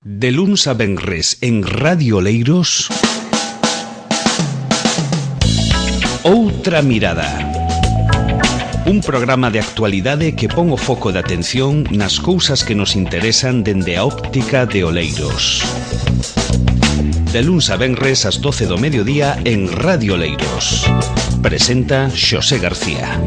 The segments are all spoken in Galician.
De luns a venres en Radio Oleiros, Outra Mirada. Un programa de actualidade que pon o foco de atención nas cousas que nos interesan dende a óptica de Oleiros. De luns a venres ás 12 do mediodía en Radio Oleiros. Presenta Xosé García.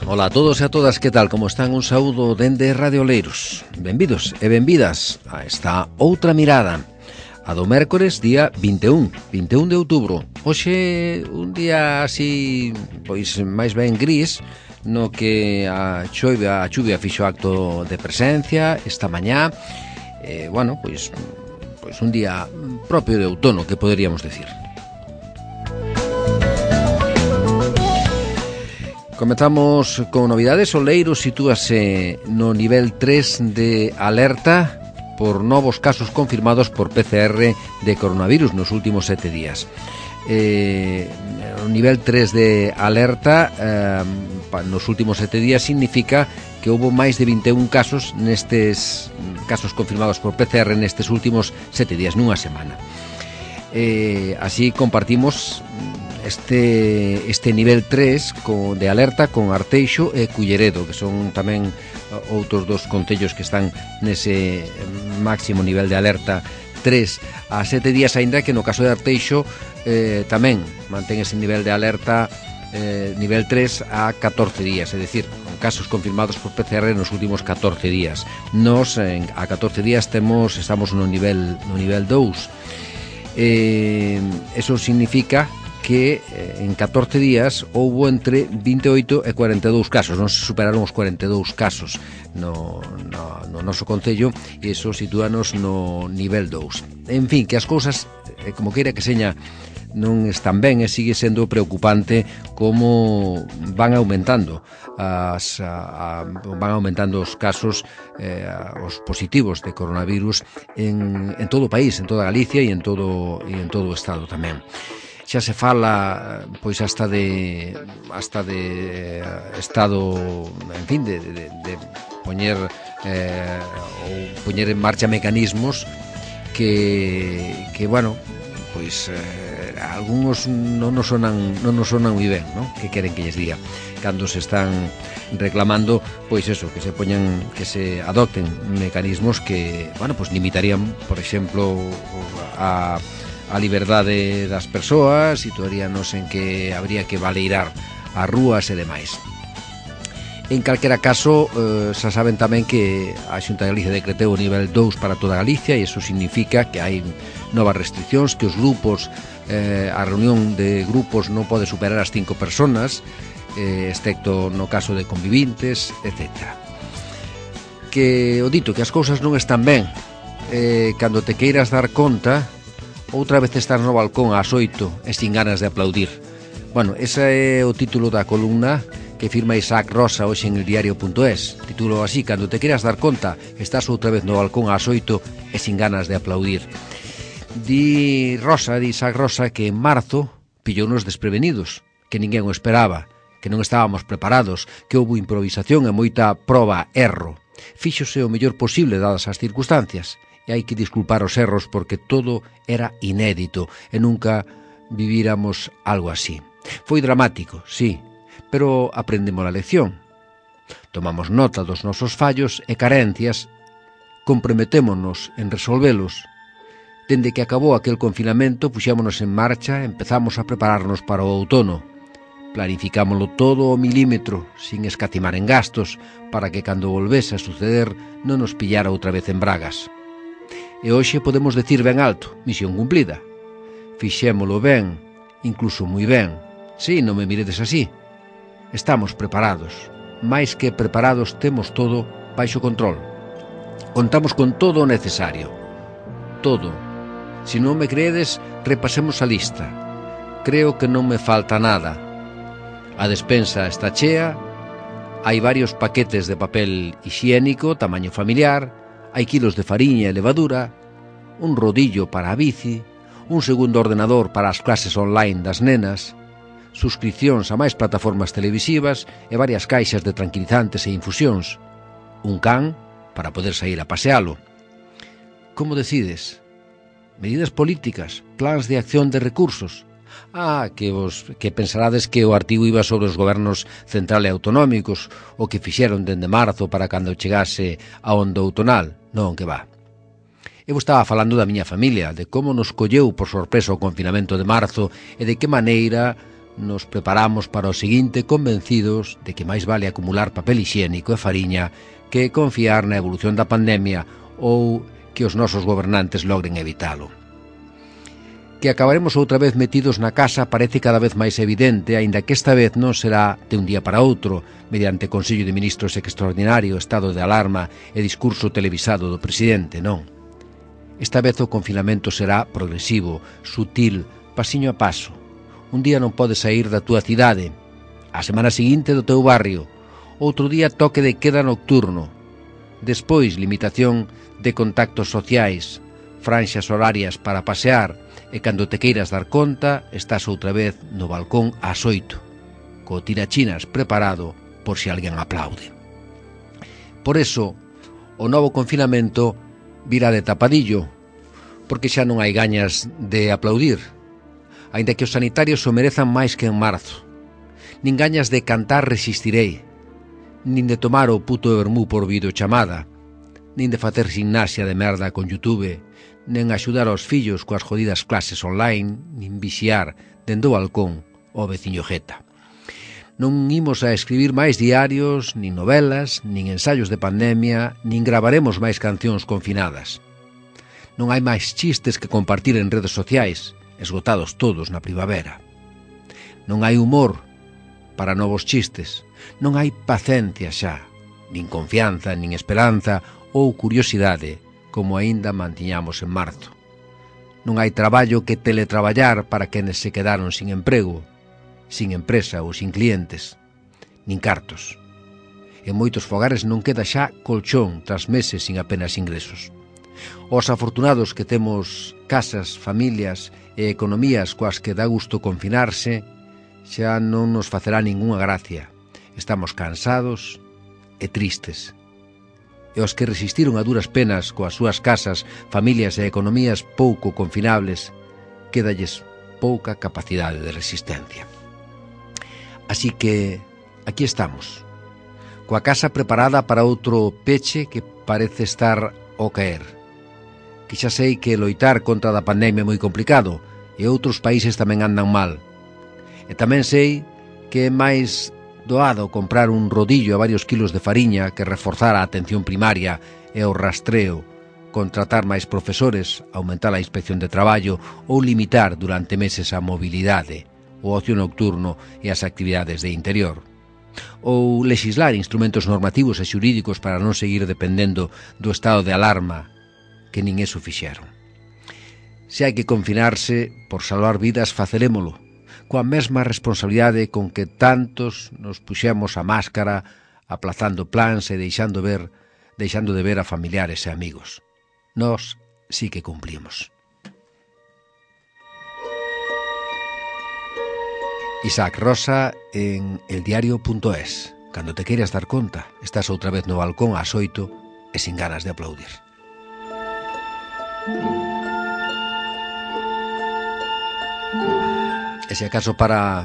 Ola a todos e a todas, que tal, como están? Un saúdo dende Radio Oleiros. Benvidos e benvidas a esta Outra Mirada, a do mércores día 21 de outubro. Hoxe un día así, pois máis ben gris, no que a chuvia fixo acto de presencia esta mañá. Pois un día propio de outono, que poderíamos decir. Comezamos con novidades. Oleiros sitúase no nivel 3 de alerta por novos casos confirmados por PCR de coronavirus nos últimos 7 días. O nivel 3 de alerta nos últimos 7 días significa que houve máis de 21 casos nestes casos confirmados por PCR nestes últimos 7 días, nunha semana. Así compartimos este nivel 3 de alerta con Arteixo e Culleredo, que son tamén outros dos concellos que están nese máximo nivel de alerta 3 a 7 días, aínda que no caso de Arteixo tamén mantén ese nivel de alerta nivel 3 a 14 días, é dicir, con casos confirmados por PCR nos últimos 14 días. Nos a 14 días estamos no nivel 2. Eso significa que en 14 días houbo entre 28 e 42 casos, non se superaron os 42 casos no noso concello, e iso sitúanos no nivel 2. En fin, que as cousas, como queira que seña, non están ben, e sigue sendo preocupante como van aumentando os casos, os positivos de coronavirus en todo o país, en toda Galicia e en todo o Estado tamén. Xa se fala pois hasta de estado, en fin, de poñer en marcha mecanismos que pois algúns non nos sonan moi ben, non? Que queren que lles diga cando se están reclamando, pois eso, que se adopten mecanismos que, pois limitarían, por exemplo, a liberdade das persoas, situaríanos en que habría que baleirar as rúas e demais. En calquera caso, xa saben tamén que a Xunta de Galicia decretou o nivel 2 para toda Galicia, e iso significa que hai novas restriccións, que os grupos, a reunión de grupos non pode superar as 5 personas, excepto no caso de convivintes, etc. Que o dito, que as cousas non están ben, cando te queiras dar conta, outra vez estás no balcón ás 8 e sin ganas de aplaudir. Ese é o título da columna que firma Isaac Rosa hoxe en el diario.es. Título así: cando te queiras dar conta, estás outra vez no balcón ás 8 e sin ganas de aplaudir. Di Isaac Rosa, que en marzo pillounos desprevenidos, que ninguén o esperaba, que non estábamos preparados, que houve improvisación e moita proba-erro. Fíxose o mellor posible dadas as circunstancias, e hai que disculpar os erros porque todo era inédito e nunca vivíramos algo así. Foi dramático, sí, pero aprendemos a lección. Tomamos nota dos nosos fallos e carencias, comprometémonos en resolvelos. Dende que acabou aquel confinamento, puxémonos en marcha e empezamos a prepararnos para o outono. Planificámoslo todo ao milímetro, sin escatimar en gastos, para que cando volvese a suceder non nos pillara outra vez en bragas. E hoxe podemos decir ben alto: misión cumplida. Fixémolo ben, incluso moi ben. Si, non me miredes así. Estamos preparados. Mais que preparados, temos todo baixo control. Contamos con todo o necesario. Todo. Se non me creedes, repasemos a lista. Creo que non me falta nada. A despensa está chea, hai varios paquetes de papel hixiénico, tamaño familiar, hai kilos de fariña e levadura, un rodillo para a bici, un segundo ordenador para as clases online das nenas. suscripcións a máis plataformas televisivas e varias caixas de tranquilizantes e infusións. Un can para poder sair a pasealo. Como decides? Medidas políticas, plans de acción de recursos. Que pensarades que o artigo iba sobre os gobernos central e autonómicos, o que fixeron dende marzo para cando chegase a onda outonal. Non, que va. Eu estaba falando da miña familia, de como nos colleu por sorpresa o confinamento de marzo e de que maneira nos preparamos para o seguinte, convencidos de que máis vale acumular papel hixiénico e fariña que confiar na evolución da pandemia ou que os nosos gobernantes logren evitalo. Que acabaremos outra vez metidos na casa parece cada vez máis evidente, aínda que esta vez non será de un día para outro, mediante Consello de Ministros extraordinario, estado de alarma e discurso televisado do presidente, non. Esta vez o confinamento será progresivo, sutil, pasiño a paso. Un día non podes sair da túa cidade, a semana seguinte do teu barrio, outro día toque de queda nocturno, despois limitación de contactos sociais, franxas horarias para pasear, e cando te queiras dar conta, estás outra vez no balcón ás 8, co tirachinas preparado por se alguén aplaude. Por eso, o novo confinamento virá de tapadillo, porque xa non hai gañas de aplaudir, aínda que os sanitarios o merezan máis que en marzo. Nin gañas de cantar resistirei, nin de tomar o puto vermú por videochamada, nin de facer gimnasia de merda con YouTube, nen axudar aos fillos coas jodidas clases online, nin vixiar dende o balcón o veciño jeta. Non imos a escribir máis diarios, nin novelas, nin ensaios de pandemia, nin gravaremos máis cancións confinadas. Non hai máis chistes que compartir en redes sociais, esgotados todos na primavera. Non hai humor para novos chistes, non hai paciencia xa, nin confianza, nin esperanza ou curiosidade, como aínda mantiñamos en marzo. Non hai traballo que teletraballar para quenes se quedaron sin emprego, sin empresa ou sin clientes, nin cartos. En moitos fogares non queda xa colchón tras meses sin apenas ingresos. Os afortunados que temos casas, familias e economías coas que dá gusto confinarse, xa non nos facerá ningunha gracia. Estamos cansados e tristes. E os que resistiron a duras penas coas súas casas, familias e economías pouco confinables, quédalles pouca capacidade de resistencia. Así que aquí estamos, coa casa preparada para outro peche que parece estar ao caer. Que xa sei que loitar contra a pandemia é moi complicado e outros países tamén andan mal. E tamén sei que é máis doado comprar un rodillo a varios kilos de fariña que reforzar a atención primaria e o rastreo, contratar máis profesores, aumentar a inspección de traballo ou limitar durante meses a mobilidade, o ocio nocturno e as actividades de interior. Ou lexislar instrumentos normativos e xurídicos para non seguir dependendo do estado de alarma, que nin eso fixeron. Se hai que confinarse por salvar vidas, facerémolo, coa mesma responsabilidade con que tantos nos puxemos a máscara, aplazando plans e deixando de ver a familiares e amigos. Nós sí que cumplimos. Isaac Rosa en eldiario.es. Cando te queiras dar conta, estás outra vez no balcón ás 8 e sin ganas de aplaudir. E se acaso para,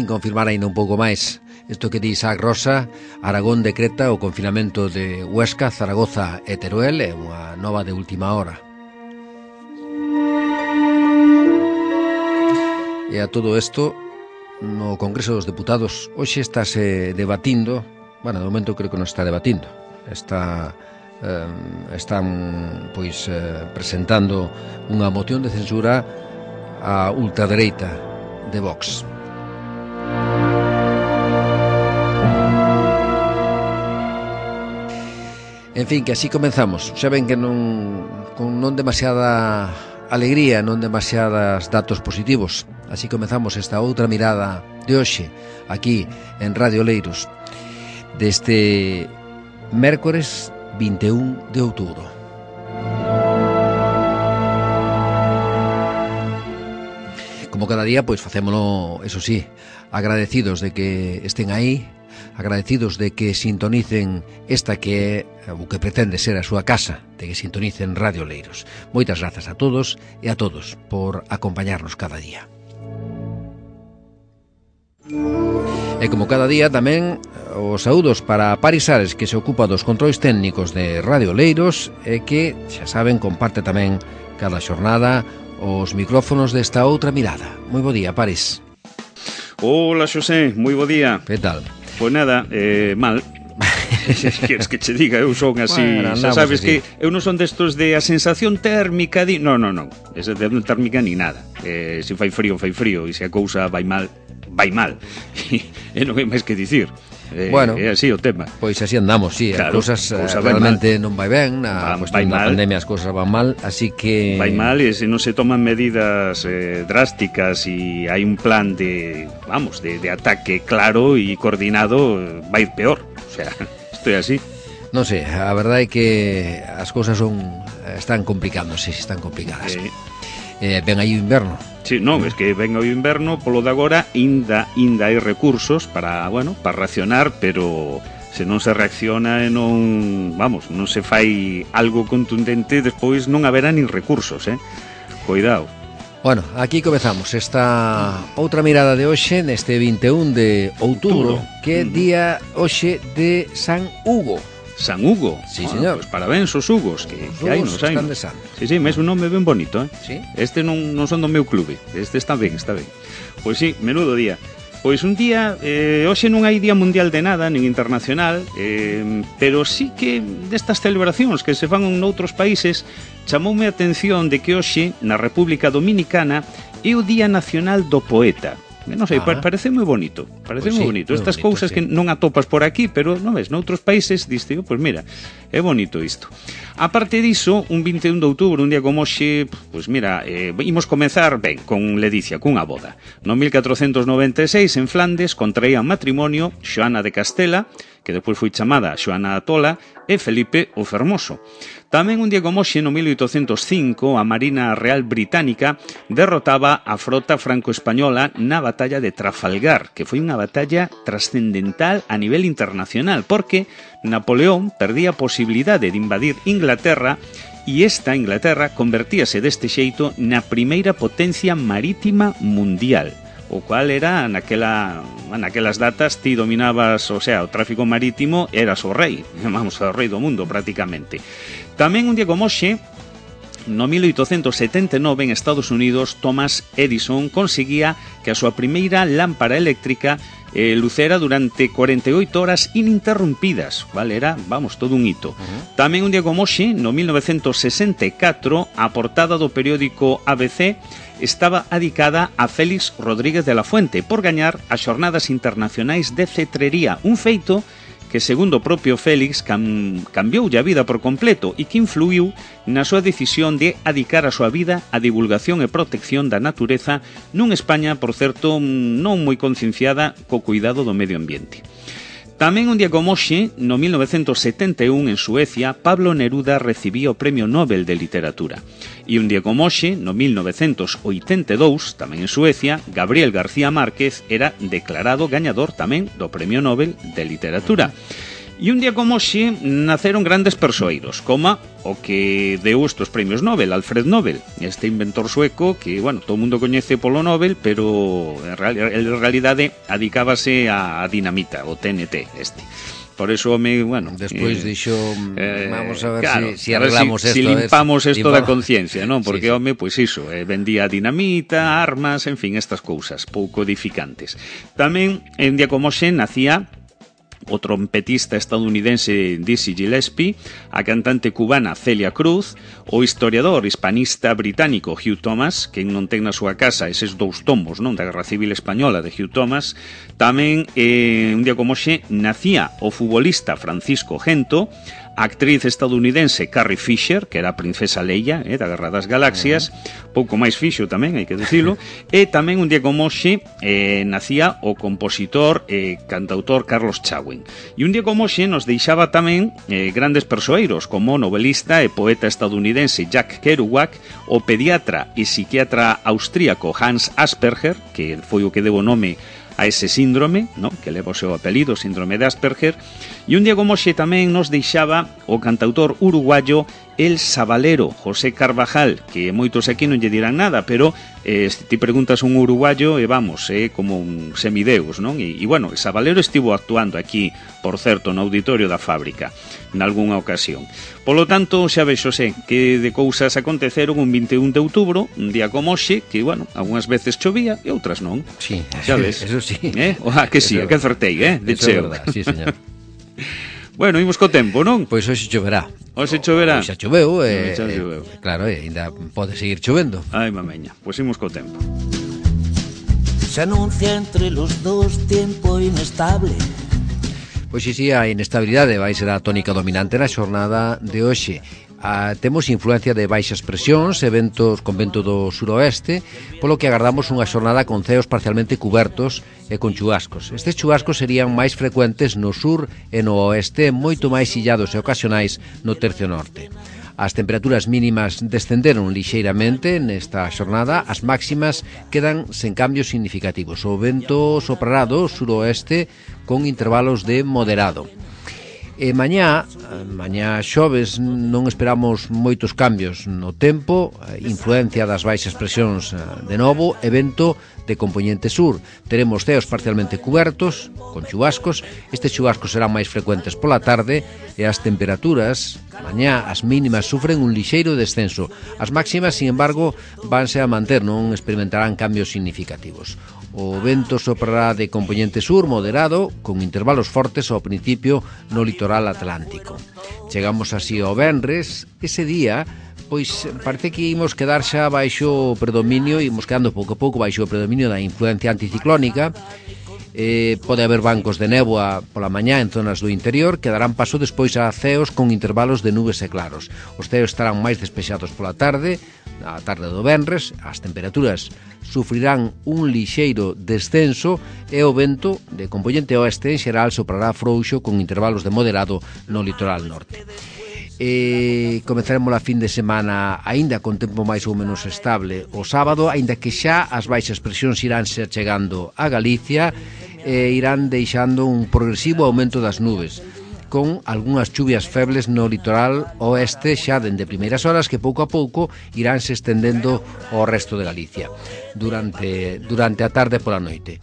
confirmar ainda un pouco máis isto que di Isaac Rosa, Aragón decreta o confinamento de Huesca, Zaragoza e Teruel, é unha nova de última hora. E a todo isto, no Congreso dos Deputados hoxe estáse debatindo, de momento creo que non está debatindo, están presentando unha moción de censura á ultradereita de Vox. En fin, que así comenzamos. Xa ven que con non demasiada alegría, non demasiadas datos positivos. Así comenzamos esta outra mirada de hoxe, aquí en Radio Oleiros, deste mércores 21 de outubro. como cada día, pois facémolo, eso sí, agradecidos de que estén aí, agradecidos de que sintonicen esta que é o que pretende ser a súa casa, de que sintonicen Radio Oleiros. Moitas grazas a todos e a todos por acompañarnos cada día. E como cada día tamén os saúdos para Paris Ares, que se ocupa dos controis técnicos de Radio Oleiros e que, xa saben, comparte tamén cada xornada os micrófonos desta outra mirada. Moi bo día, Paris. Hola, Xosé, moi bo día. Que tal? Pois nada, mal. Queres que che diga, eu son así, bueno, xa sabes así. Que eu non son destos de a sensación térmica non, esa de térmica ni nada. Se fai frío, e se a cousa vai mal e non hai máis que dicir. Bueno, é así o tema. Pois así andamos, sí, claro, as cousas realmente non vai ben, na cuestión da pandemia as cousas van mal, así que... Vai mal e se non se toman medidas drásticas e hai un plan de ataque claro e coordinado, vai ir peor, o sea, isto é así. Non sei, a verdade é que as cousas están complicándose, están complicadas. Ven aí o inverno. Sí, non, é que ven o inverno, polo de agora ainda hai recursos para racionar, pero se non se reacciona e non se fai algo contundente, despois non haberá nin recursos, Cuidado. Bueno, aquí comezamos esta outra mirada de hoxe, neste 21 de outubro, que é día hoxe de San Hugo. San Hugo? Sí, señor. Pues parabéns aos Hugos, que hai nos. Están de santos. Sí, mes un nome ben bonito, Sí? Este non son do meu clube, este está ben. Pois sí, menudo día. Pois un día, hoxe non hai Día Mundial de nada, nin internacional, pero sí que destas celebracións que se fan noutros países, chamoume a atención de que hoxe, na República Dominicana, é o Día Nacional do Poeta. Non sei, parece moi bonito. Estas cousas que non atopas por aquí, pero non ves, noutros países diste, pois mira, é bonito isto. A parte diso, un 21 de outubro, un día como hoxe, pois mira, imos comezar ben con ledicia, cunha boda. No 1496, en Flandes, contraían matrimonio Xoana de Castela, que despois foi chamada Xoana Atola, e Felipe o Fermoso. Tamén un día como hoxe, no 1805, a Marina Real Británica derrotaba a frota franco-española na batalla de Trafalgar, que foi unha batalla trascendental a nivel internacional, porque Napoleón perdía a posibilidade de invadir Inglaterra e esta Inglaterra convertíase deste xeito na primeira potencia marítima mundial, o cual era naquelas datas ti dominabas, o sea, o tráfico marítimo, eras o rei, o rei do mundo prácticamente. Tamén un día como hoxe, no 1879 en Estados Unidos, Thomas Edison conseguía que a súa primeira lámpara eléctrica lucera durante 48 horas ininterrumpidas, vale? Era, todo un hito. Tamén un día como hoxe, no 1964, a portada do periódico ABC estaba dedicada a Félix Rodríguez de la Fuente por gañar as xornadas internacionais de cetrería, un feito que, segundo o propio Félix, cambioulle a vida por completo e que influiu na súa decisión de adicar a súa vida á divulgación e protección da natureza nun España, por certo, non moi concienciada co cuidado do medio ambiente. Tamén un día como hoxe, no 1971, en Suecia, Pablo Neruda recibía o Premio Nobel de Literatura. E un día como hoxe, no 1982, tamén en Suecia, Gabriel García Márquez era declarado gañador tamén do Premio Nobel de Literatura. E un día como hoxe naceron grandes persoeiros, como o que deu estes premios Nobel, Alfred Nobel, este inventor sueco que, todo o mundo coñece polo Nobel, pero en realidade adicábase a dinamita, o TNT este. Por eso despois dixo, vamos a ver, claro, si arreglamos si limpamos esto da conciencia, non? Porque vendía dinamita, armas, en fin, estas cousas pouco edificantes. Tamén en día como hoxe nacía o trompetista estadounidense Dizzy Gillespie, a cantante cubana Celia Cruz, o historiador hispanista británico Hugh Thomas, que non ten na súa casa eses 2 tomos, non, da Guerra Civil Española de Hugh Thomas. Tamén un día como hoxe nacía o futbolista Francisco Gento, a actriz estadounidense Carrie Fisher, que era a princesa Leia, da Guerra das Galaxias, pouco máis fixo tamén, hai que dicilo, e tamén un día como hoxe nacía o compositor e cantautor Carlos Chauen. E un día como hoxe nos deixaba tamén grandes persoeiros, como o novelista e poeta estadounidense Jack Kerouac, o pediatra e psiquiatra austríaco Hans Asperger, que foi o que deu o nome a ese síndrome, ¿no?, que leva o seu apelido, síndrome de Asperger, e un día como hoxe tamén nos deixaba o cantautor uruguayo El Sabalero, José Carvajal, que moitos aquí non lle dirán nada, pero se ti preguntas un uruguayo, vamos, como un semideus, non? E bueno, El Sabalero estivo actuando aquí, por certo, no auditorio da Fábrica, nalgúnha ocasión. Polo tanto, xa vexo, que de cousas aconteceron un 21 de outubro, un día como hoxe, que, bueno, algunhas veces chovía e outras non. Sí, xa ves. Eso sí. Que sí, que acertei, de cheo. Sí, señor. Bueno, imos co tempo, non? Pois hoxe choverá. Hoxe choverá. Xa choveu, choveu. Claro, ainda pode seguir chovendo. Ai, mameña, pois imos co tempo. Se anuncia entre los dos tiempo inestable. Pois si, a inestabilidade vai ser a tónica dominante na xornada de hoxe. Temos influencia de baixas presións e ventos con vento do suroeste, polo que agardamos unha xornada con ceos parcialmente cubertos e con chubascos. Estes chubascos serían máis frecuentes no sur e no oeste, moito máis illados e ocasionais no tercio norte. As temperaturas mínimas descenderon lixeiramente nesta xornada, as máximas quedan sen cambios significativos. O vento soprará do suroeste con intervalos de moderado. E mañá xoves, non esperamos moitos cambios no tempo, influencia das baixas presións de novo e vento de compoñente sur. Teremos ceos parcialmente cubertos, con chubascos. Estes chubascos serán máis frecuentes pola tarde e as temperaturas, mañá, as mínimas sufren un lixeiro descenso. As máximas, sin embargo, vanse a manter, non experimentarán cambios significativos. O vento soprará de compoñente sur moderado, con intervalos fortes ao principio no litoral atlántico. Chegamos así ao venres, ese día, pois parece que imos quedar xa baixo o predominio, imos quedando pouco a pouco baixo o predominio da influencia anticiclónica. Pode haber bancos de néboa pola mañá en zonas do interior, que darán paso despois a ceos con intervalos de nubes e claros. Os ceos estarán máis despexados pola tarde, a tarde do venres, as temperaturas sufrirán un lixeiro descenso e o vento de compoñente oeste en xeral soprará frouxo con intervalos de moderado no litoral norte. Comezaremos a fin de semana aínda con tempo máis ou menos estable o sábado, aínda que xa as baixas presións iránse chegando a Galicia e irán deixando un progresivo aumento das nubes, con algunhas chuvias febles no litoral oeste xa dende primeiras horas que pouco a pouco iránse estendendo ao resto de Galicia durante a tarde e pola noite.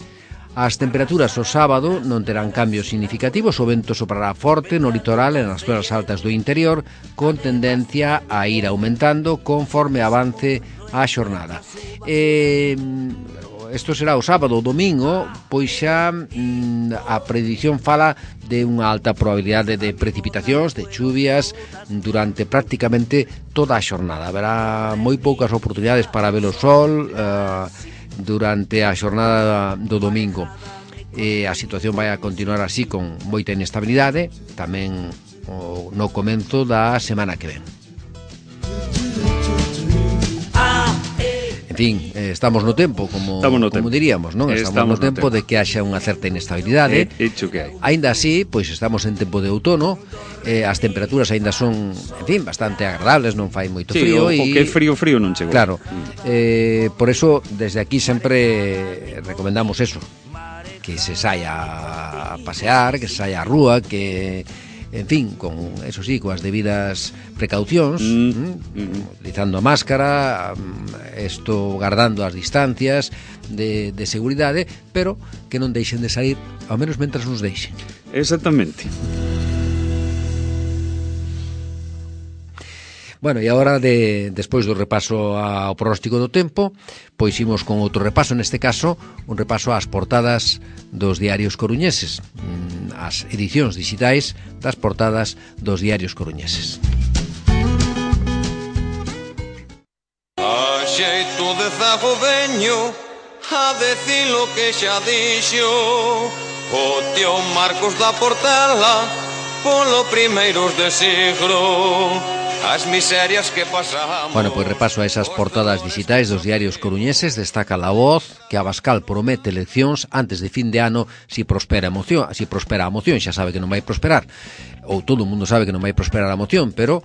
As temperaturas o sábado non terán cambios significativos, o vento soprará forte no litoral e nas zonas altas do interior, con tendencia a ir aumentando conforme avance a xornada. Isto será o sábado. O domingo, pois xa a predición fala de unha alta probabilidade de precipitacións, de chuvias, durante prácticamente toda a xornada. Haberá moi poucas oportunidades para ver o sol durante a xornada do domingo. A situación vai a continuar así con moita inestabilidade tamén no comenzo da semana que ven. En fin, estamos no tempo, como diríamos, non? Estamos no tempo de que haxa unha certa inestabilidade. Aínda así, pois estamos en tempo de outono, as temperaturas aínda son, en fin, bastante agradables, non fai moito frío. Sí, o que é frío non chegou. Claro, por eso, desde aquí sempre recomendamos eso, que se saia a pasear, que se saia á rúa, que... En fin, con, eso sí, coas debidas precaucións, utilizando a máscara, guardando as distancias de seguridade, pero que non deixen de sair, ao menos mentras nos deixen. Exactamente. Bueno, e agora, despois do repaso ao pronóstico do tempo, pois imos con outro repaso, neste caso, un repaso ás portadas dos diarios coruñeses, as edicións digitais das portadas dos diarios coruñeses. A xeito de zagodeño, a decir lo que xa dixo o tío Marcos da Portela, polo primeiros de siglo. As miserias que pasamos. Bueno, pois repaso a esas portadas digitais dos diarios coruñeses. Destaca La Voz que Abascal promete eleccións antes de fin de ano si prospera a moción. Xa sabe que non vai prosperar, ou todo o mundo sabe que non vai prosperar a moción, pero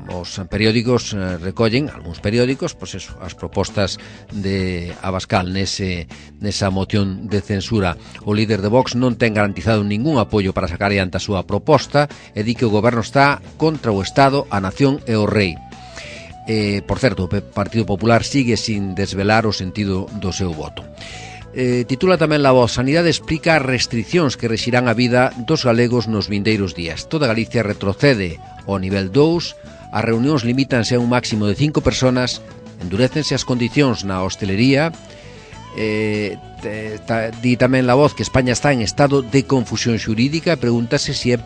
os periódicos recollen, algúns periódicos, pois eso, as propostas de Abascal nesa moción de censura. O líder de Vox non ten garantizado ningún apoio para sacar adiante a súa proposta e di que o goberno está contra o Estado, a nación e o rei. Por certo, o Partido Popular sigue sin desvelar o sentido do seu voto. Titula tamén La Voz: Sanidade explica as restriccións que rexirán a vida dos galegos nos vindeiros días. Toda Galicia retrocede ao nivel 2, as reunións limítanse a un máximo de 5 personas, endurécense as condicións na hostelería. Di tamén La Voz que España está en estado de confusión xurídica e pregúntase si é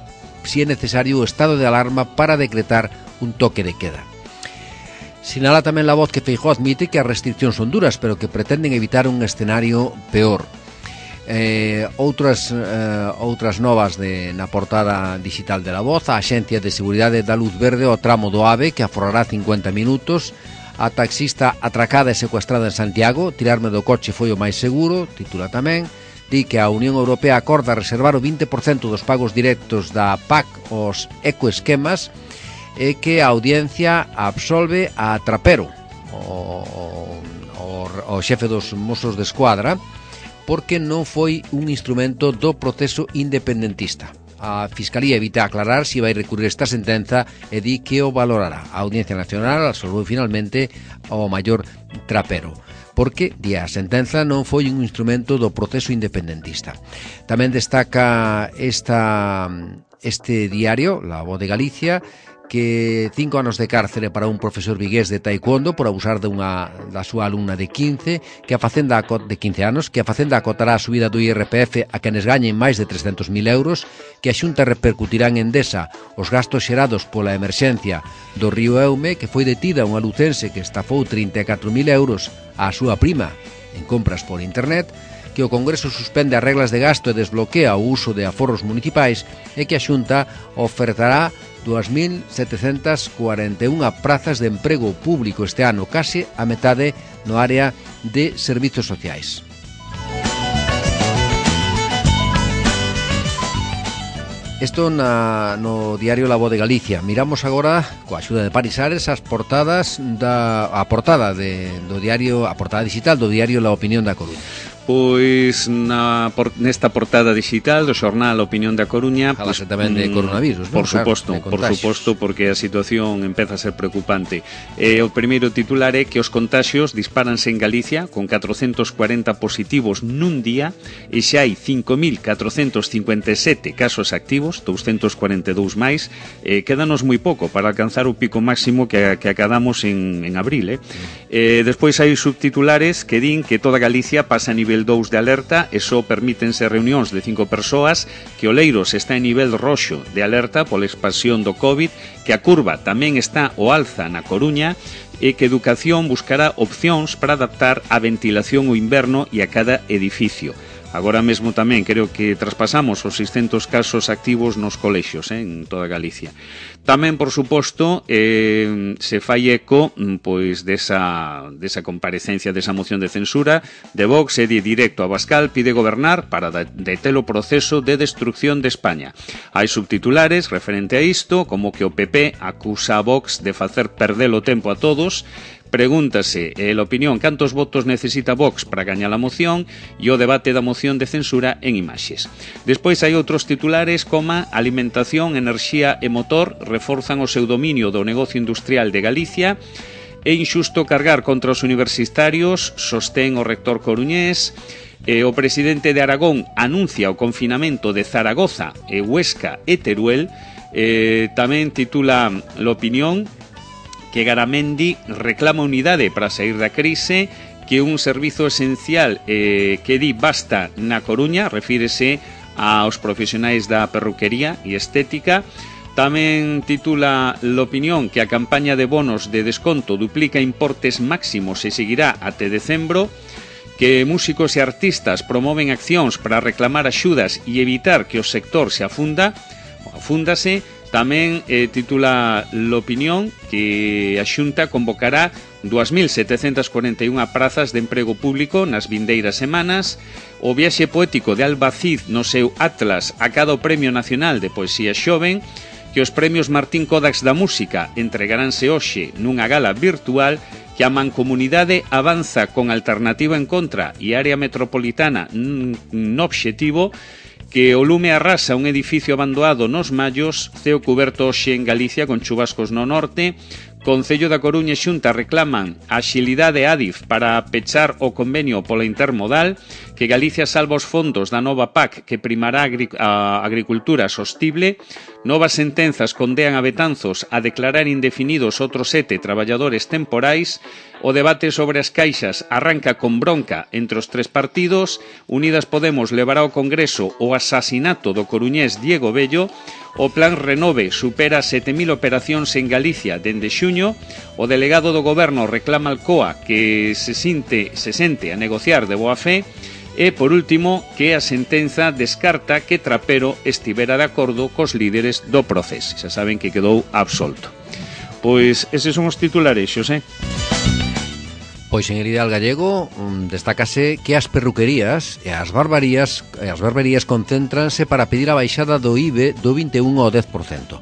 necesario o estado de alarma para decretar un toque de queda. Sinala tamén La Voz que Feijóo admite que as restriccións son duras, pero que pretenden evitar un escenario peor. Outras novas na portada digital de La Voz: a Axencia de Seguridade da luz verde ao tramo do AVE, que aforrará 50 minutos. A taxista atracada e secuestrada en Santiago: tirarme do coche foi o máis seguro. Titula tamén. Di que a Unión Europea acorda reservar o 20% dos pagos directos da PAC aos ecoesquemas e que a audiencia absolve a Trapero, o xefe dos Mossos de Escuadra, porque non foi un instrumento do proceso independentista. A Fiscalía evita aclarar si vai recurrir esta sentenza e di que o valorará. A Audiencia Nacional absolveu finalmente ao maior Trapero, porque, di, a sentenza non foi un instrumento do proceso independentista. Tamén destaca este diario, La Voz de Galicia, que 5 anos de cárcere para un profesor vigués de taekwondo por abusar da súa alumna de 15 anos, que a Facenda acotará a subida do IRPF a quenes gañen máis de 300.000 euros, que a Xunta repercutirá en Endesa os gastos xerados pola emerxencia do río Eume, que foi detida unha lucense que estafou 34.000 euros á súa prima en compras por internet, que o Congreso suspende as reglas de gasto e desbloquea o uso de aforros municipais e que a Xunta ofertará 2.741 prazas de emprego público este ano, case a metade no área de servizos sociais. Isto no diario La Voz de Galicia. Miramos agora, coa axuda de Parisares, a portada digital do diario La Opinión da Coruña. Pois nesta portada digital do xornal Opinión da Coruña, falase tamén de coronavirus, por suposto, porque a situación empeza a ser preocupante. O primeiro titular é que os contaxios dispáranse en Galicia con 440 positivos nun día e xa hai 5.457 casos activos, 242 máis. Quédanos moi pouco para alcanzar o pico máximo que acadamos en abril. Despois hai subtitulares que din que toda Galicia pasa a nivel 2 de alerta e só permítense reunións de 5 persoas, que Oleiros está en nivel roxo de alerta pola expansión do COVID, que a curva tamén está ao alza na Coruña e que Educación buscará opcións para adaptar a ventilación o inverno e a cada edificio. Agora mesmo tamén creo que traspasamos os 600 casos activos nos colexios en toda Galicia. Tamén, por suposto, se fai eco pois desa comparecencia, desa moción de censura de Vox e de directo a Abascal pide gobernar para deter o proceso de destrucción de España. Hai subtitulares referente a isto, como que o PP acusa a Vox de facer perder o tempo a todos. Pregúntase a opinión cantos votos necesita Vox para gañar a moción e o debate da moción de censura en imaxes. Despois hai outros titulares como alimentación, enerxía e motor reforzan o seu dominio do negocio industrial de Galicia. É injusto cargar contra os universitarios, sostén o rector coruñés. O presidente de Aragón anuncia o confinamento de Zaragoza, Huesca e Teruel. Tamén titula l'opinión que Garamendi reclama unidade para sair da crise, que un servizo esencial que di basta na Coruña, refírese aos profesionais da perruquería e estética. Tamén titula l'opinión que a campaña de bonos de desconto duplica importes máximos e seguirá até decembro, que músicos e artistas promoven accións para reclamar axudas e evitar que o sector se afunda. Fúndase tamén titula l'opinión que a Xunta convocará 2.741 prazas de emprego público nas vindeiras semanas. O viaxe poético de Alba Cid no seu Atlas acada o Premio Nacional de Poesía Xoven, que os premios Martín Kodax da Música entregaránse hoxe nunha gala virtual, que a Mancomunidade avanza con Alternativa en Contra e Área Metropolitana no obxectivo que o lume arrasa un edificio abandonado nos Mallos, ceo cuberto hoxe en Galicia con chubascos no norte. Concello da Coruña e Xunta reclaman a axilidade Adif para pechar o convenio pola intermodal, que Galicia salva os fondos da nova PAC que primará a agricultura sostible. Novas sentenzas condean a Betanzos a declarar indefinidos outros 7 traballadores temporais. O debate sobre as caixas arranca con bronca entre os 3 partidos. Unidas Podemos levará ao Congreso o asasinato do coruñés Diego Bello. O plan Renove supera 7.000 operacións en Galicia dende xuño. O delegado do Goberno reclama al COA que se sente a negociar de boa fe. E, por último, que a sentenza descarta que Trapero estivera de acordo cos líderes do proceso. Xa saben que quedou absolto. Pois eses son os titulares, Xosé. Pois en el Ideal Gallego destácase que as perruquerías e as barberías concéntranse para pedir a baixada do IBE do 21 ao 10%.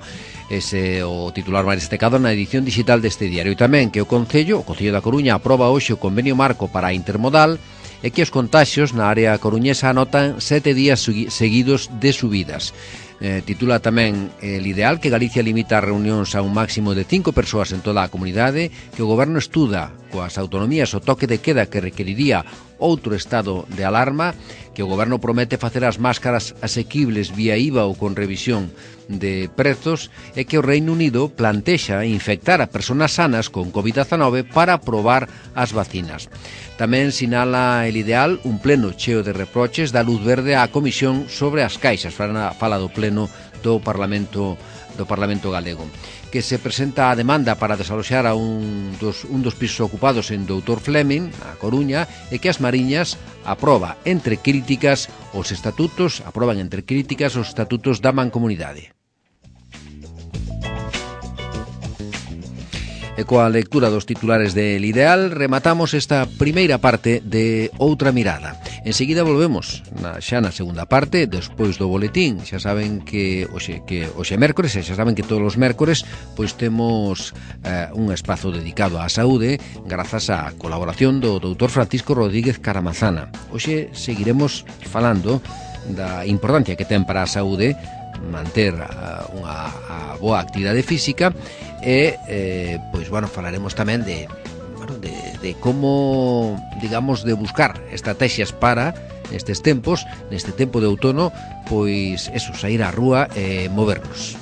Ese o titular máis destacado na edición digital deste diario. E tamén que o Concello da Coruña aproba hoxe o convenio marco para a intermodal e que os contaxios na área coruñesa anotan 7 días seguidos de subidas. Titula tamén el Ideal que Galicia limita as reunións a un máximo de 5 persoas en toda a comunidade, que o Goberno estuda coas autonomías o toque de queda que requeriría outro estado de alarma, que o Goberno promete facer as máscaras asequibles vía IVA ou con revisión de prezos, e que o Reino Unido plantexa infectar a persoas sanas con COVID-19 para probar as vacinas. Tamén sinala el Ideal un pleno cheo de reproches da luz verde á Comisión sobre as caixas. Fala do pleno do Parlamento galego, que se presenta a demanda para desaloxar a un dos pisos ocupados en Doutor Fleming, a Coruña, e que as Mariñas aproban entre críticas os estatutos da Mancomunidade. E coa lectura dos titulares del Ideal rematamos esta primeira parte de Outra Mirada. Enseguida volvemos xa na segunda parte, despois do boletín. Xa saben que hoxe mércores, e xa saben que todos os mércores pois temos un espazo dedicado á saúde grazas á colaboración do doutor Francisco Rodríguez Caramazana. Hoxe seguiremos falando da importancia que ten para a saúde manter unha boa actividade física e falaremos tamén de como, digamos, de buscar estrategias para neste tempo de outono, pois eso, sair á rúa e movernos.